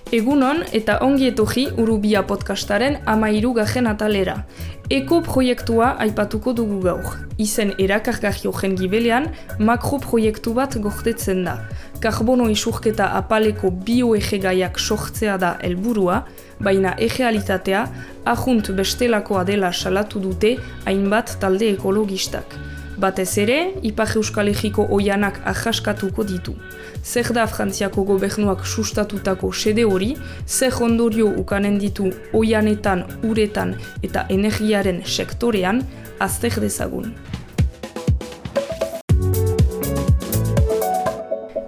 Egunon eta ongi etorri Urubia podcastaren 13. atalera. Eko proiektua aipatuko dugu gaur. Izen erakargarri horren gibelean, makroproiektu bat gordetzen da. Karbono isurketa apaleko bioegegaiak sortzea da helburua, baina errealitatea ahunt bestelakoa dela salatu dute hainbat talde ekologistak. Batez ere, Ipar Euskal Herriko oianak ahaskatuko ditu. Zer da Frantziako gobernuak sustatutako sede hori, zer ondorio ukanen ditu oianetan, uretan eta energiaren sektorean, azter dezagun.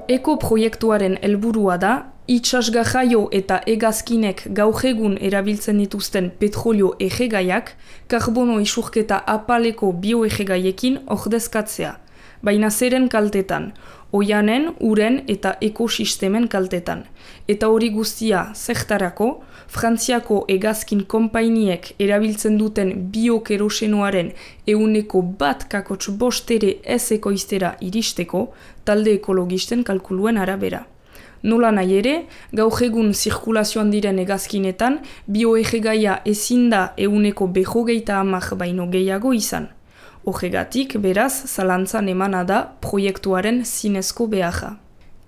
Eko proiektuaren helburua da, itsasgarraio eta hegazkinek gaur egun erabiltzen dituzten petrolio egegaiak, karbono isurketa apaleko bioegegaiekin ordezkatzea. Baina zeren kaltetan, oianen, uren eta ekosistemen kaltetan. Eta hori guztia zertarako, Frantziako hegazkin konpainiek erabiltzen duten biokerosenoaren 1,1% ez ekoiztera iristeko, talde ekologisten kalkuluen arabera. Nola nahi ere, gaur egun zirkulazioan diren hegazkinetan, bioegegaia ezin da 150 baino gehiago izan. Horregatik, beraz, zalantzan emana da proiektuaren zinezko beharra.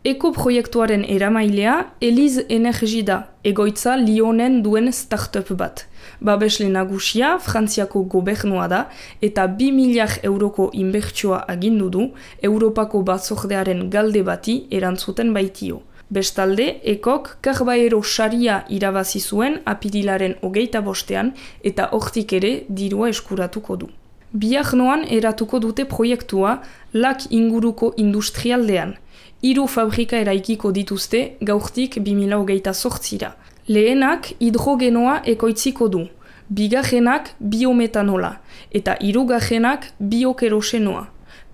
Eko proiektuaren eramailea Elize Energy da, egoitza Lyonen duen startup bat. Babesle nagusia Frantziako gobernua da eta 2.000.000 euroko inbertsioa agindu du Europako batzordearen galde bati erantzuten baitio. Bestalde, Ekok Karbaero saria irabazi zuen apirilaren 25 eta hortik ere dirua eskuratuko du. Bihar noan eratuko dute proiektua lak inguruko industrialdean. 3 fabrika eraikiko dituzte gaurtik 2028. Lehenak hidrogenoa ekoitziko du, bigarrenak biometanola eta hirugarrenak biokerosenoa.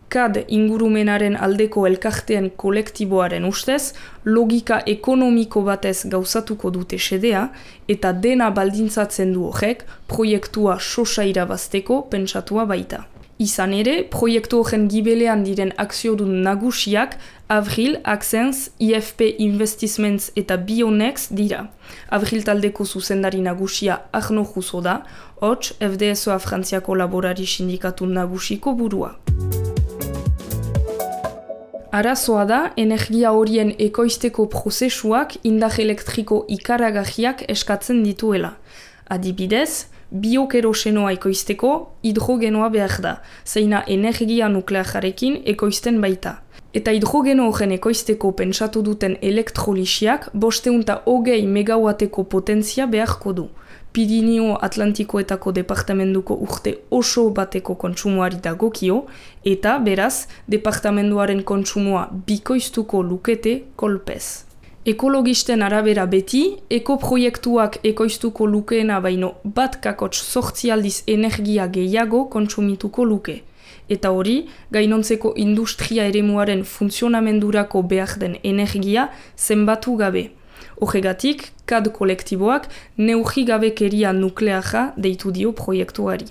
KAD ingurumenaren aldeko elkarteen kolektiboaren ustez, logika ekonomiko batez gauzatuko dute xedea eta dena baldintzatzen du horrek proiektua sosa irabazteko pentsatua baita. Izan ere, proiektu horren gibelean diren akziodun nagusiak Avril, Axens, IFP Investments eta Bionex dira. Avril taldeko zuzendari nagusia Arno Jusso da, hots FDSOA Frantziako laborari sindikatu nagusiko burua. Arazoa da, energia horien ekoizteko prozesuak indar elektriko ikaragarriak eskatzen dituela. Adibidez, biokerosenoa ekoizteko hidrogenoa behar da, zeina energia nuklearekin ekoizten baita. Eta hidrogeno horren ekoizteko pentsatu duten elektrolisiak 520 megawateko potentzia beharko du. Pirineo Atlantikoetako departamentuko urte oso bateko kontsumoari dagokio eta beraz, departamentuaren kontsumoa bikoiztuko lukete kolpez. Ekologisten arabera beti, ekoproiektuak ekoiztuko lukeena baino 1,8 aldiz energia gehiago kontsumituko luke. Eta hori, gainontzeko industria eremuaren funtzionamendurako behar den energia zenbatu gabe. Horregatik, KAD kolektiboak neurrigabekeria nukleaja deitu dio proiektuari.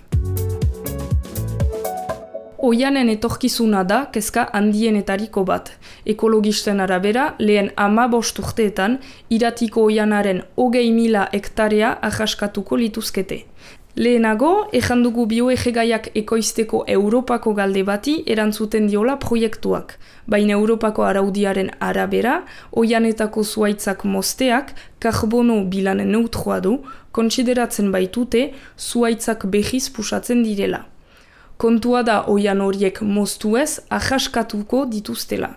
Oianen etorkizuna da kezka handienetariko bat. Ekologisten arabera, lehen 15 urteetan, iratiko oianaren 20.000 hektarea ahaskatuko lituzkete. Lehenago, ejandugu bioegegaiak ekoizteko Europako galde bati erantzuten diola proiektuak. Baina Europako araudiaren arabera, oianetako zuhaitzak mozteak karbono bilan neutroa du, kontsideratzen baitute zuhaitzak behiz pusatzen direla. Kontua da oian horiek moztuez ahaskatuko dituztela.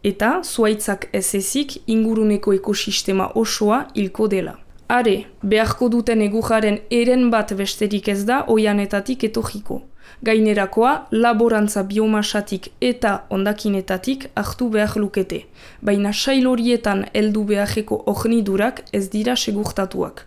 Eta zuhaitzak ez ezik inguruneko ekosistema osoa hilko dela. Are, beharko duten egujaren eren bat besterik ez da oianetatik etorriko. Gainerakoa, laborantza biomasatik eta hondakinetatik hartu behar lukete. Baina sail horietan heldu beharreko hornidurak ez dira segurtatuak.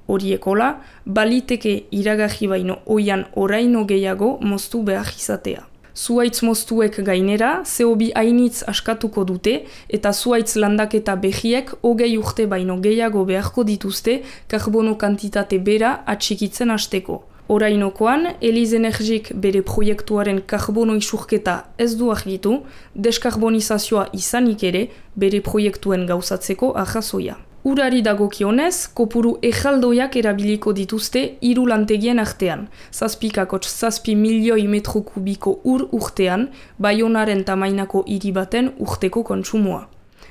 Horiekola, baliteke iragarri baino oian oraino gehiago moztu behar izatea. Zuhaitz moztuek gainera, CO2 hainitz askatuko dute eta zuhaitz landaketa behiek 20 urte baino gehiago beharko dituzte karbono kantitate bera atxikitzen hasteko. Orainokoan, Elize Energik bere proiektuaren karbono isurketa ez du argitu, deskarbonizazioa izanik ere bere proiektuen gauzatzeko arrazoia. Urari dagokionez, kopuru ejaldoiak erabiliko dituzte 3 lantegien artean. 7,7 milioi metro kubiko ur urtean, Baionaren tamainako hiri baten urteko kontsumoa.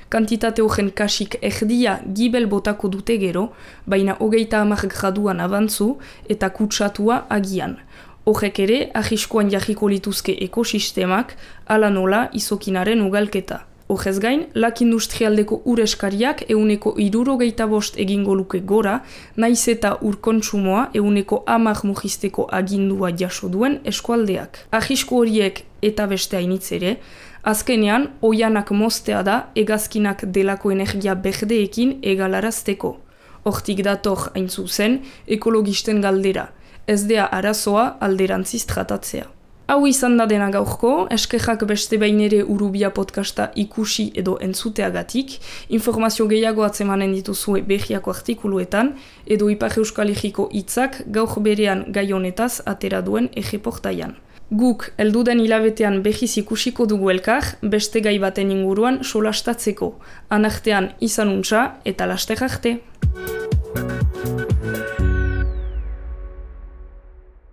Kantitate horren kasik erdia gibel botako dute gero, baina 30 graduan abantzu eta kutsatua agian. Horrek ere, ahiskoan jarriko lituzke ekosistemak, ala nola izokinaren ugalketa. Horrez gain, lak industrialdeko ur eskariak 65% egingo luke gora, naiz eta ur kontsumoa 10% mugisteko agindua jaso duen eskualdeak. Ahisko horiek eta beste hainitz ere, azkenean, oianak moztea da hegazkinak delako energia berdeekin egalarazteko. Hortik dator hain zuzen, ekologisten galdera. Ez dea arazoa alderantziz tratatzea. Hau izan da dena gaurko, eskerrak beste behin ere Urubia podcasta ikusi edo entzuteagatik, informazio gehiago atzemanen dituzue berriako artikuluetan, edo Ipar Euskal Herriko hitzak gaur berean gai honetaz atera duen erreportaian. Guk helduden hilabetean behiz ikusiko dugu elkar, beste gai baten inguruan solastatzeko. Anartean izanuntza eta laster arte.